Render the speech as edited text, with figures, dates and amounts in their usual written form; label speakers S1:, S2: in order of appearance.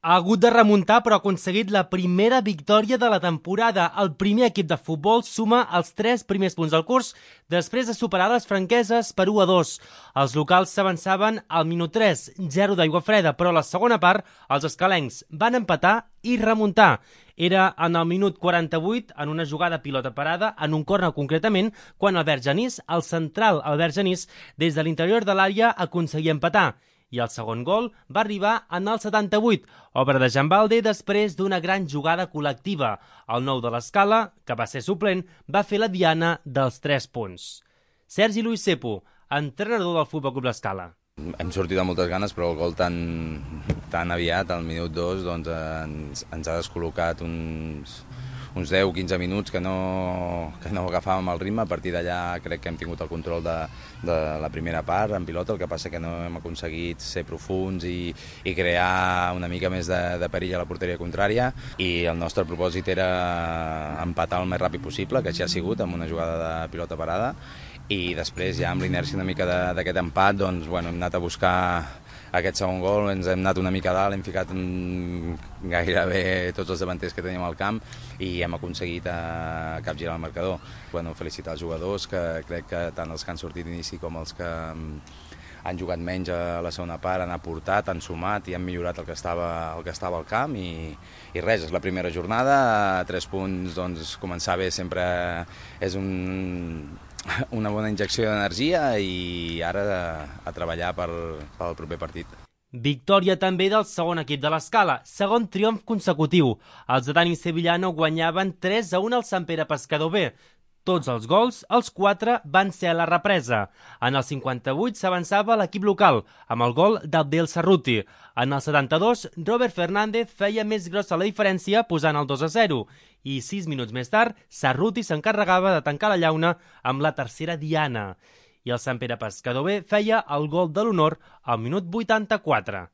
S1: Ha hagut de remuntar, però ha aconseguit la primera victòria de la temporada. El primer equip de futbol suma els 3 primers punts del curs després de superar les franqueses per 1-2. Els locals s'avançaven al minut 3, 0 d'aigua freda, però a la segona part els escalencs van empatar i remuntar. Era en el minut 48, en una jugada pilota parada, en un córner concretament, quan Albert Genís, el central Albert Genís, des de l'interior de l'àrea aconseguia empatar. I el segon gol va arribar en el 78, obra de Jan Balde després d'una gran jugada col·lectiva. El nou de l'Escala, que va ser suplent, va fer la diana dels 3 punts. Sergi Luis Cepo, entrenador del Futbol Club l'Escala.
S2: Hem sortit amb moltes ganes, però el gol tan aviat, al minut 2, doncs ens ha descol·locat uns 10-15 minuts que no agafàvem el ritme. A partir d'allà crec que hem tingut el control de la primera part en pilota, el que passa que no hem aconseguit ser profuns i crear una mica més de perill a la porteria contrària, i el nostre propòsit era empatar el més ràpid possible, que així ha sigut, amb una jugada de pilota parada, i després ja amb l'inèrcia una mica d'aquest empat doncs, hem anat a buscar aquest segon gol, ens hem anat una mica a dalt, hem ficat gairebé tots els davanters que teníem al camp i hem aconseguit capgirar el marcador. Felicitar els jugadors, que crec que tant els que han sortit d'inici com els que han jugat menys a la segona part han aportat, han sumat i han millorat el que estava al camp, i res, és la primera jornada, 3 punts, doncs començar bé sempre és una bona injecció d'energia, i ara a treballar pel proper partit.
S1: Victòria també del segon equip de l'Escala, segon triomf consecutiu. Els de Dani Sevillano guanyaven 3-1 al Sant Pere Pescador B. Tots els gols, els 4, van ser a la represa. En el 58 s'avançava l'equip local, amb el gol d'Abdel Cerruti. En el 72, Robert Fernández feia més grossa la diferència posant el 2-0. I 6 minuts més tard, Cerruti s'encarregava de tancar la llauna amb la tercera diana. I el Sant Pere Pescador B feia el gol de l'honor al minut 84.